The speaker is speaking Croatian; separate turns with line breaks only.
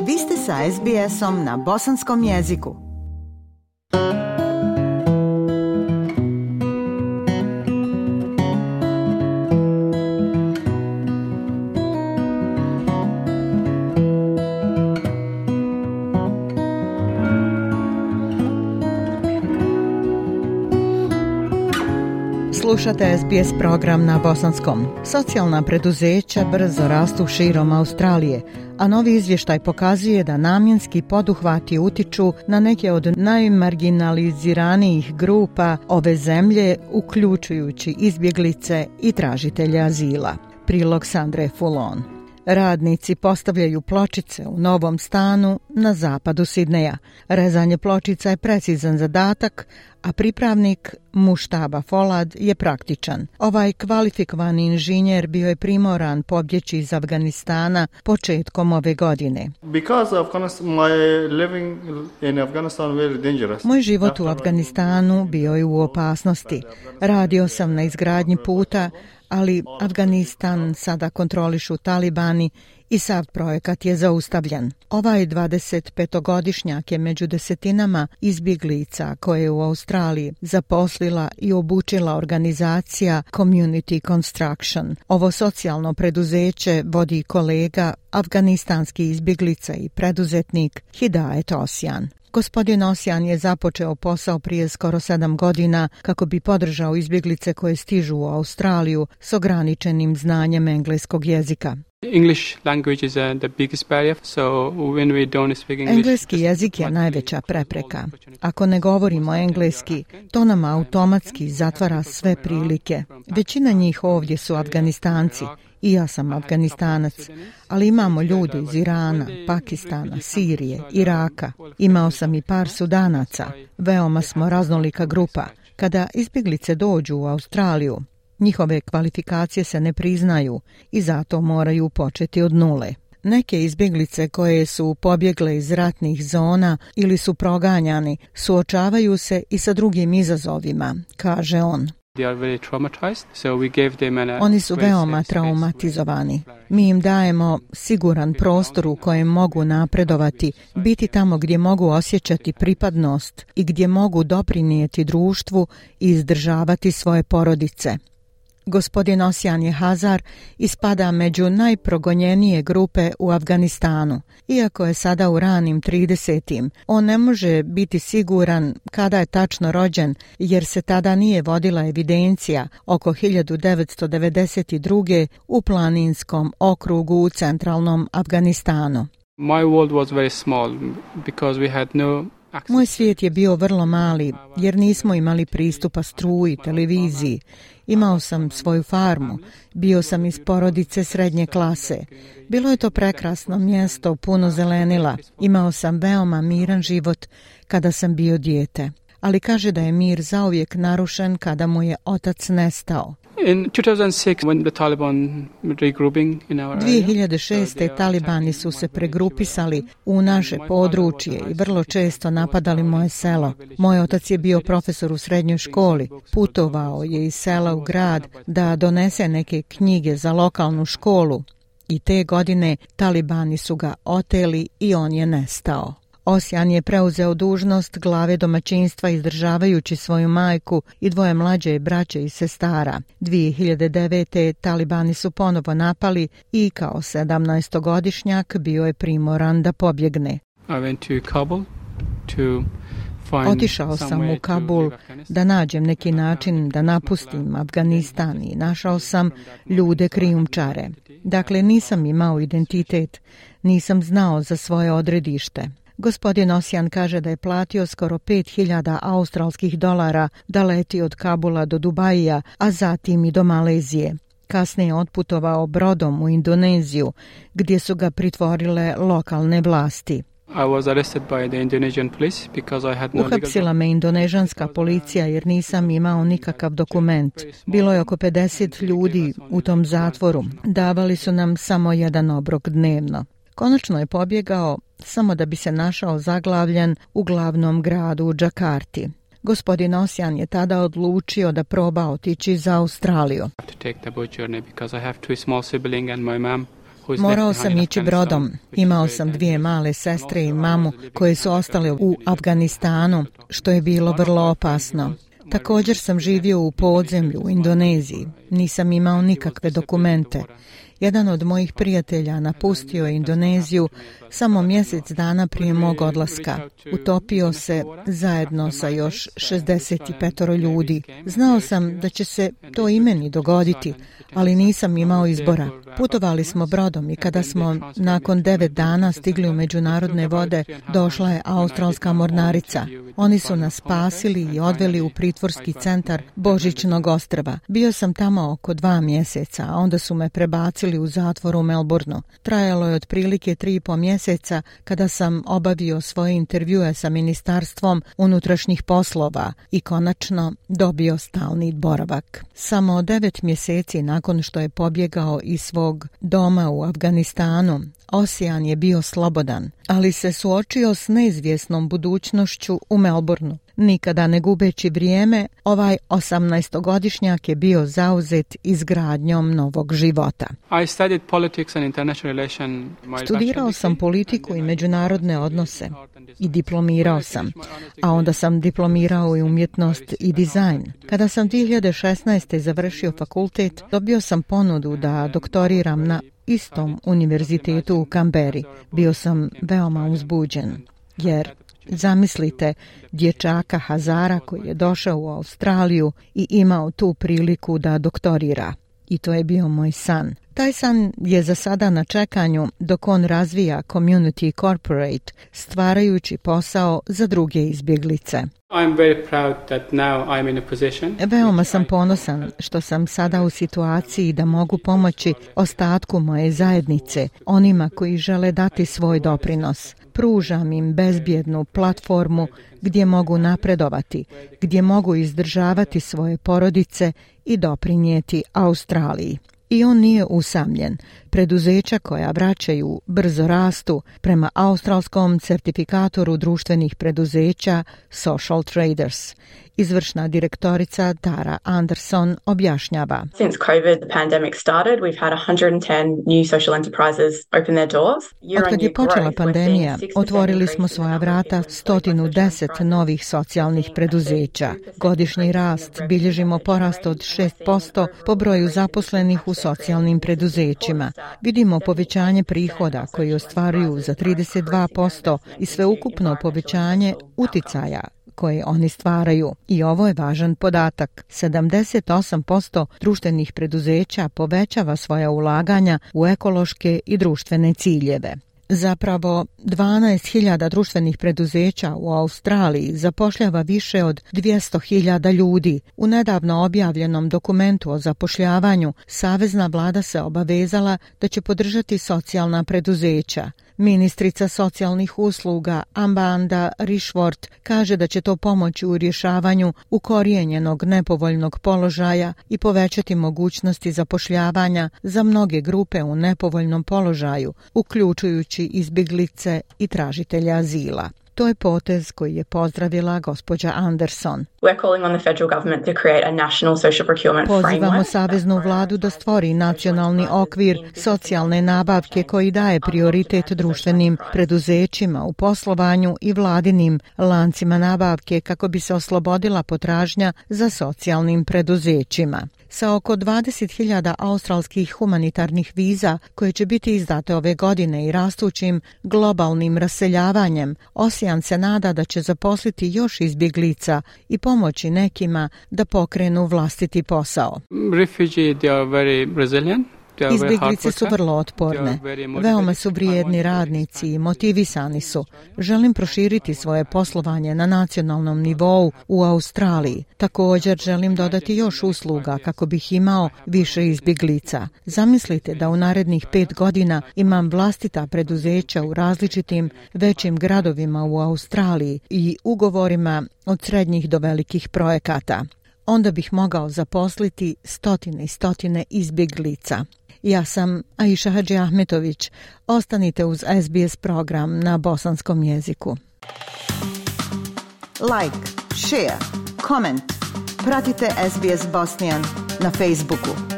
Vi ste sa SBS-om na bosanskom jeziku. Slušate SBS program na bosanskom. Socijalna preduzeća brzo rastu širom Australije, a novi izvještaj pokazuje da namjenski poduhvati utiču na neke od najmarginaliziranijih grupa ove zemlje, uključujući izbjeglice i tražitelje azila. Prilog Sandre Fulon. Radnici postavljaju pločice u novom stanu na zapadu Sidneja. Rezanje pločica je precizan zadatak, a pripravnik Muštaba Folad je praktičan. Ovaj kvalifikovani inženjer bio je primoran pobjeći iz Afganistana početkom ove godine. Moj život u Afganistanu bio je u opasnosti. Radio sam na izgradnji puta, ali Afganistan sada kontrolišu talibani i sav projekat je zaustavljen. Ovaj 25-godišnjak je među desetinama izbjeglica koje je u Australiji zaposlila i obučila organizacija Community Construction. Ovo socijalno preduzeće vodi kolega, afganistanski izbjeglica i preduzetnik Hidajet Osjan. Gospodin Osjan je započeo posao prije skoro 7 godina kako bi podržao izbjeglice koje stižu u Australiju s ograničenim znanjem engleskog jezika. Engleski jezik je najveća prepreka. Ako ne govorimo engleski, to nam automatski zatvara sve prilike. Većina njih ovdje su Afganistanci. I ja sam Afganistanac, ali imamo ljude iz Irana, Pakistana, Sirije, Iraka. Imao sam i par Sudanaca. Veoma smo raznolika grupa. Kada izbjeglice dođu u Australiju, njihove kvalifikacije se ne priznaju i zato moraju početi od nule. Neke izbjeglice koje su pobjegle iz ratnih zona ili su proganjani suočavaju se i sa drugim izazovima, kaže on. Oni su veoma traumatizovani. Mi im dajemo siguran prostor u kojem mogu napredovati, biti tamo gdje mogu osjećati pripadnost i gdje mogu doprinijeti društvu i izdržavati svoje porodice. Gospodin Osjan je Hazar i spada među najprogonjenije grupe u Afganistanu. Iako je sada u ranim 30. on ne može biti siguran kada je tačno rođen, jer se tada nije vodila evidencija oko 1992. u planinskom okrugu u centralnom Afganistanu. Moj svijet je bio vrlo mali, jer nismo imali pristupa struji, televiziji. Imao sam svoju farmu, bio sam iz porodice srednje klase. Bilo je to prekrasno mjesto, puno zelenila. Imao sam veoma miran život kada sam bio dijete. Ali kaže da je mir zauvijek narušen kada mu je otac nestao. 2006. talibani su se pregrupisali u naše područje i vrlo često napadali moje selo. Moj otac je bio profesor u srednjoj školi. Putovao je iz sela u grad da donese neke knjige za lokalnu školu i te godine talibani su ga oteli i on je nestao. Osjan je preuzeo dužnost glave domaćinstva izdržavajući svoju majku i dvoje mlađe braće i sestara. 2009. talibani su ponovo napali i kao 17-godišnjak bio je primoran da pobjegne. Otišao sam u Kabul da nađem neki način da napustim Afganistan i našao sam ljude krijumčare. Dakle, nisam imao identitet, nisam znao za svoje odredište. Gospodin Osjan kaže da je platio skoro 5.000 australskih dolara da leti od Kabula do Dubaija, a zatim i do Malezije. Kasnije je otputovao brodom u Indoneziju, gdje su ga pritvorile lokalne vlasti. Uhapsila me indonežanska policija jer nisam imao nikakav dokument. Bilo je oko 50 ljudi u tom zatvoru. Davali su nam samo jedan obrok dnevno. Konačno je pobjegao samo da bi se našao zaglavljen u glavnom gradu u Džakarti. Gospodin Osjan je tada odlučio da proba otići za Australiju. Morao sam ići brodom. Imao sam 2 male sestre i mamu koje su ostale u Afganistanu, što je bilo vrlo opasno. Također sam živio u podzemlju u Indoneziji. Nisam imao nikakve dokumente. Jedan od mojih prijatelja napustio je Indoneziju samo mjesec dana prije mog odlaska. Utopio se zajedno sa još 65 ljudi. Znao sam da će se to i meni dogoditi, ali nisam imao izbora. Putovali smo brodom i kada smo nakon 9 dana stigli u međunarodne vode, došla je australska mornarica. Oni su nas spasili i odveli u pritvorski centar Božićnog ostrva. Bio sam tamo oko 2 mjeseca, a onda su me prebacili u zatvor u Melbourneu. Trajalo je otprilike 3,5 mjeseca kada sam obavio svoje intervjue sa Ministarstvom unutrašnjih poslova i konačno dobio stalni boravak. Samo 9 mjeseci nakon što je pobjegao iz svog doma u Afganistanu, Ocean je bio slobodan, ali se suočio s neizvjesnom budućnošću u Melbourneu. Nikada ne gubeći vrijeme, ovaj 18-godišnjak je bio zauzet izgradnjom novog života. Studirao sam politiku i međunarodne odnose i diplomirao sam, a onda sam diplomirao i umjetnost i dizajn. Kada sam 2016. završio fakultet, dobio sam ponudu da doktoriram na istom univerzitetu u Kamberi. Bio sam veoma uzbuđen, jer zamislite dječaka Hazara koji je došao u Australiju i imao tu priliku da doktorira. I to je bio moj san. Taj san je za sada na čekanju dok on razvija Community Corporate, stvarajući posao za druge izbjeglice. Veoma sam ponosan što sam sada u situaciji da mogu pomoći ostatku moje zajednice, onima koji žele dati svoj doprinos. Pružam im bezbjednu platformu gdje mogu napredovati, gdje mogu izdržavati svoje porodice i doprinijeti Australiji. I on nije usamljen. Preduzeća koja vraćaju brzo rastu prema australskom certifikatoru društvenih preduzeća Social Traders. Izvršna direktorica Tara Anderson objašnjava.
Since COVID, the pandemic started, we've had 110 new social enterprises open their doors.
Otkad je počela pandemija, otvorili smo svoja vrata 110 novih socijalnih preduzeća. Godišnji rast bilježimo porast od 6% po broju zaposlenih u socijalnim preduzećima. Vidimo povećanje prihoda koji ostvaruju za 32% i sveukupno povećanje uticaja koje oni stvaraju. I ovo je važan podatak. 78% društvenih preduzeća povećava svoja ulaganja u ekološke i društvene ciljeve. Zapravo, 12.000 društvenih preduzeća u Australiji zapošljava više od 200.000 ljudi. U nedavno objavljenom dokumentu o zapošljavanju, savezna vlada se obavezala da će podržati socijalna preduzeća. Ministrica socijalnih usluga Amanda Rishworth kaže da će to pomoći u rješavanju ukorijenjenog nepovoljnog položaja i povećati mogućnosti zapošljavanja za mnoge grupe u nepovoljnom položaju, uključujući izbjeglice i tražitelja azila. To je potez koji je pozdravila gospođa Anderson. Pozivamo saveznu vladu da stvori nacionalni okvir socijalne nabavke koji daje prioritet društvenim preduzećima u poslovanju i vladinim lancima nabavke kako bi se oslobodila potražnja za socijalnim preduzećima. Sa oko 20.000 australskih humanitarnih viza koje će biti izdate ove godine i rastućim globalnim raseljavanjem, Ocean se nada da će zaposliti još izbjeglica i pomoći nekima da pokrenu vlastiti posao. Izbjeglice su vrlo otporne, veoma su vrijedni radnici i motivisani su. Želim proširiti svoje poslovanje na nacionalnom nivou u Australiji. Također želim dodati još usluga kako bih imao više izbjeglica. Zamislite da u narednih 5 godina imam vlastita preduzeća u različitim većim gradovima u Australiji i ugovorima od srednjih do velikih projekata. Onda bih mogao zaposliti stotine i stotine izbjeglica. Ja sam Aisha Hadži Ahmetović. Ostanite uz SBS program na bosanskom jeziku. Like, share, comment. Pratite SBS Bosnian na Facebooku.